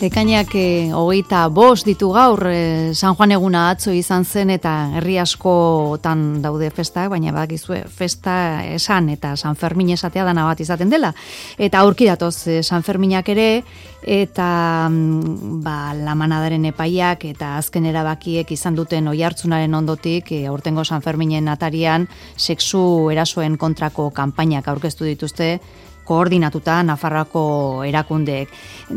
Ekainak 25 ditu gaur, San Juan eguna atzo izan zen eta herri askotan daude festak, baina badakizue festa esan eta San Fermin esatea dana bat izaten dela. Eta aurki datoz San Ferminak ere, eta lamanadaren epaiak eta azken erabakiek izan duten oihartzunaren ondotik, aurtengo San Ferminen atarian sexu erasoen kontrako kanpainak aurkeztu dituzte, koordinatuta Nafarroako erakundeek.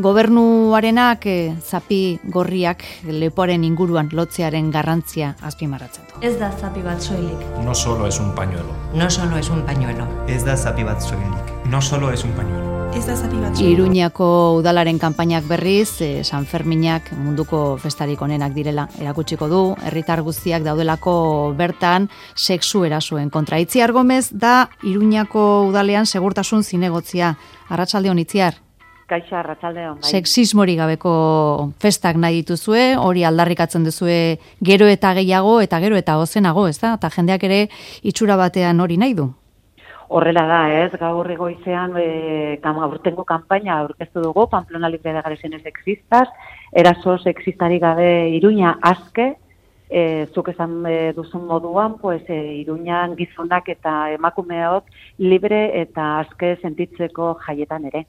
Gobernuarenak zapi gorriak lepoaren inguruan lotzearen garrantzia azpimarratzen du. Ez da zapi bat soilik. No solo es un pañuelo. No solo es un pañuelo. Ez da zapi bat soilik. No solo es un pañuelo. Ez da zapi bat soilik. Iruñako udalaren kanpainak berriz, San Ferminak munduko festarik onenak direla erakutsiko du, herritar guztiak daudelako bertan sexu erasoen kontra. Itziar Gomez da Iruñako udalean segurtasun zinegotzia. Arratsaldeon Itziar. Kaixo, arratsaldeon. Bai. Sexismori gabeko festak nahi dituzue, hori aldarrikatzen duzue gero eta gehiago eta gero eta ozenago, ez da? Eta jendeak ere itxura batean hori nahi du. Horrela da, ez? Gaur goizean aurtengo kanpaina aurkeztu dugu, Pamplona libre de agresiones sexistas, eraso sexistari gabe Iruña aske, zuk esan duzun moduan, Iruñan gizonak eta emakumeok libre eta aske sentitzeko jaietan ere.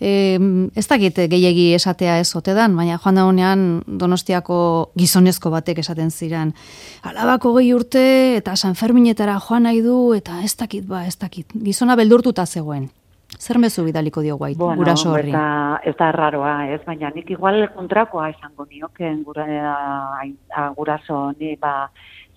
Ez dakit gehiegi esatea ez ote dan, baina joan da honean Donostiako gizonezko batek esaten ziren. Alabako 20 urte eta San Ferminetara joan nahi du eta ez dakit. Gizona beldurtuta zegoen. Zer mezu bidaliko dio guait, guraso horri? Ez da erraroa, ez, baina nik igual kontrakoa esango nioken guraso honi,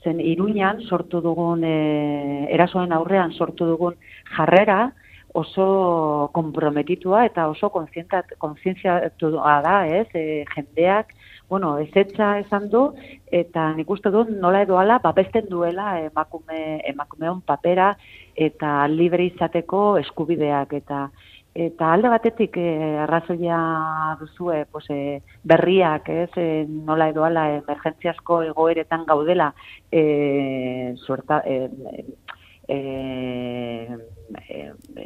zen Iruñan sortu dugun, erasoen aurrean sortu dugun jarrera, oso konprometitua eta oso kontzientziatua da, ez, jendeak, ezetza esan du, eta nik uste dut nola edo ala babesten duela emakumeon papera eta libre izateko eskubideak, eta alde batetik arrazoia duzue berriak, ez, nola edo ala emergentziazko egoeretan gaudela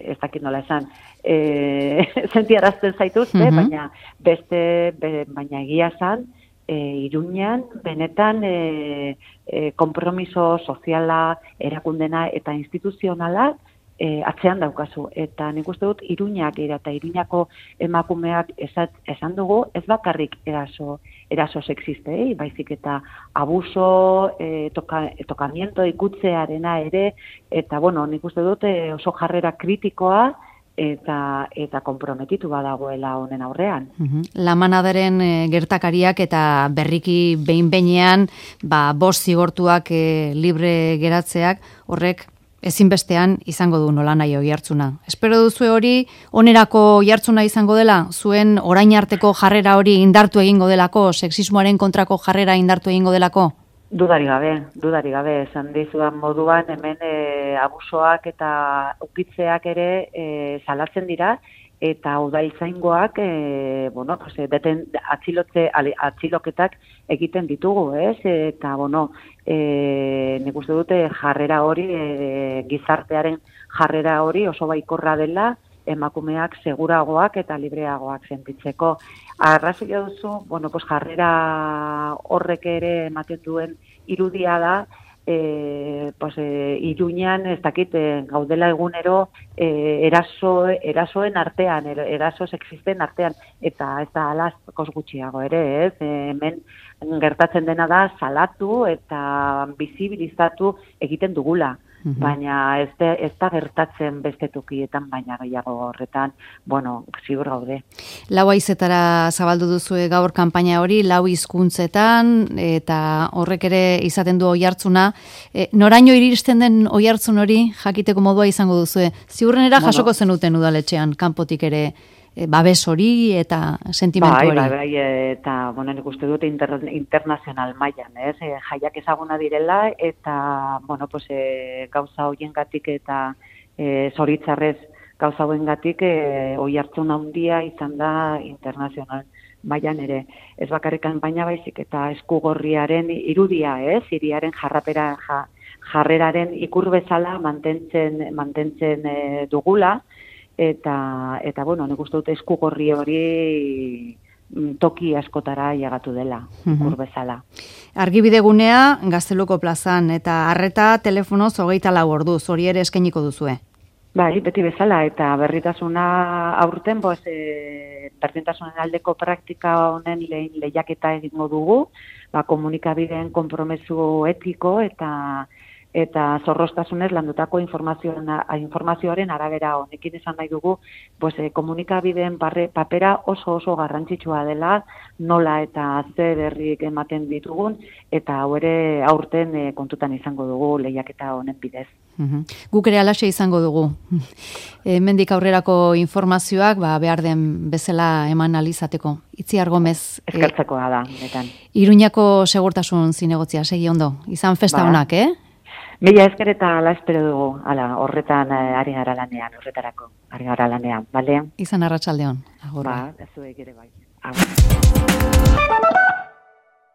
ez dakit nola esan, sentiarazten zaituzte, baina baina egia esan, Iruñan benetan konpromiso soziala, erakundena eta instituzionala atzean daukazu. Eta nik uste dut Iruñak eta Iruñako emakumeak esan dugu, ez bakarrik eraso sexiste, baizik eta abuso, tokamiento ikutzearena ere, eta nik uste dut oso jarrera kritikoa eta konprometitu badagoela honen aurrean. Lamanadaren gertakariak eta berriki behin-behinean 5 zigortuak libre geratzeak, horrek ezinbestean izango du nolanahi oihartzuna. Espero duzue hori onerako oihartzuna izango dela, zuen orain arteko jarrera hori indartu egingo delako, sexismoaren kontrako jarrera indartu egingo delako? Dudari gabe, esan dizudan moduan, hemen abusoak eta ukitzeak ere salatzen dira, eta udaltzaingoak atxiloketak egiten ditugu, ez? Eta, nik uste dute jarrera hori, gizartearen jarrera hori oso baikorra dela, emakumeak seguragoak eta libreagoak sentitzeko. Arrazoia duzu, jarrera horrek ere ematen duen irudia da, Iruñan ez dakit gaudela egunero erasoen artean, eraso sexisten artean, eta ez da ala gutxiago ere, ez? Hemen gertatzen dena da salatu eta bizibilizatu egiten dugula. Baina ez da gertatzen beste tokietan, baina gehiago horretan, ziur gaude. 4 haizetara zabaldu duzue gaur kanpaina hori, 4 hizkuntzetan, eta horrek ere izaten du oihartzuna. Noraino iristen den oihartzun hori jakiteko modua izango duzue? Ziurrenera jasoko zenuten udaletxean, kanpotik ere, babes hori eta sentimentu hori. Bai, eta nik uste dut internazional mailan, ez? Jaiak ezaguna direla, eta, gauza hoiengatik eta zoritzarrez gauza hoiengatik oihartzun handia izan da internazional mailan ere. Ez bakarrik kanpaina baizik eta eskugorriaren irudia, ez? Hiriaren jarreraren ikur bezala mantentzen dugula, eta nik uste dut eskugorri hori toki askotara llegatu dela, ikur bezala. Argibidegunea Gazteluko plazan, eta arreta telefonoz 24 orduz, hori ere eskainiko duzue. Bai, beti bezala, eta berritasuna aurten, berdintasunen aldeko praktika honen lehiaketa egingo dugu, komunikabideen konpromesu etiko eta zorroztasunez landutako informazioaren arabera. Honekin esan nahi dugu, komunikabideen papera oso garrantzitsua dela, nola eta ze berrik ematen ditugun, eta hau ere aurten kontutan izango dugu lehiaketa honen bidez. Guk ere alaxe izango dugu. Hemendik aurrerako informazioak behar den bezala eman alizateko. Itziar Gomez. Eskertzekoa da, netan. Iruñako segurtasun zinegotzia, segi ondo. Izan festa honak, Mila esker eta ala espero dugu. Horretan ari gara lanean, horretarako. Ari gara lanean, bale? Izan arratsaldeon. Zuek ere bai.